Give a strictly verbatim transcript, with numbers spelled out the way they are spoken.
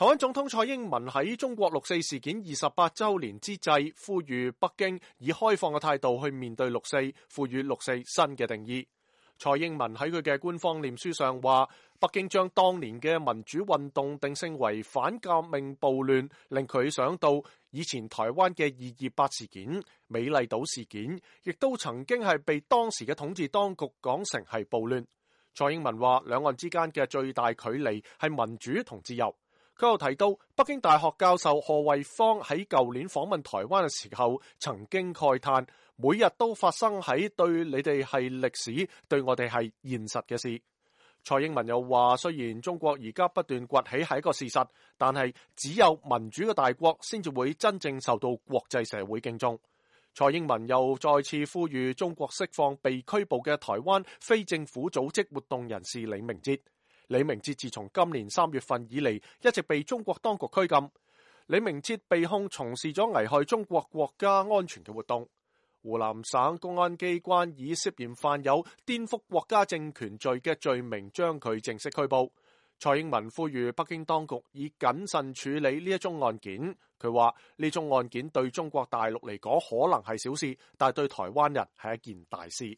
台灣總統蔡英文喺中國六四事件二十八週年之際，呼籲北京以開放嘅態度去面對六四，賦予六四新嘅定義。蔡英文喺佢嘅官方臉書上話，北京將當年嘅民主運動定性為反革命暴亂，令佢想到以前台灣嘅二二八事件、美麗島事件，亦都曾經係被當時嘅統治當局講成係暴亂。蔡英文話，兩岸之間嘅最大距離係民主同自由。佢又提到，北京大學教授賀衛方喺舊年訪問台灣嘅時候，曾經慨嘆，每日都發生喺對你哋係歷史，對我哋係現實嘅事。蔡英文又話，雖然中國而家不斷崛起係一個事實，但係只有民主嘅大國先至會真正受到國際社會敬重。蔡英文又再次呼籲中國釋放被拘捕嘅台灣非政府組織活動人士李明哲。李明哲自從今年三月份以嚟，一直被中國當局拘禁。李明哲被控從事咗危害中國國家安全嘅活動。湖南省公安機關以涉嫌犯有顛覆國家政權罪嘅罪名將佢正式拘捕。蔡英文呼籲北京當局以謹慎處理呢一宗案件。佢話呢宗案件對中國大陸嚟講可能係小事，但係對台灣人係一件大事。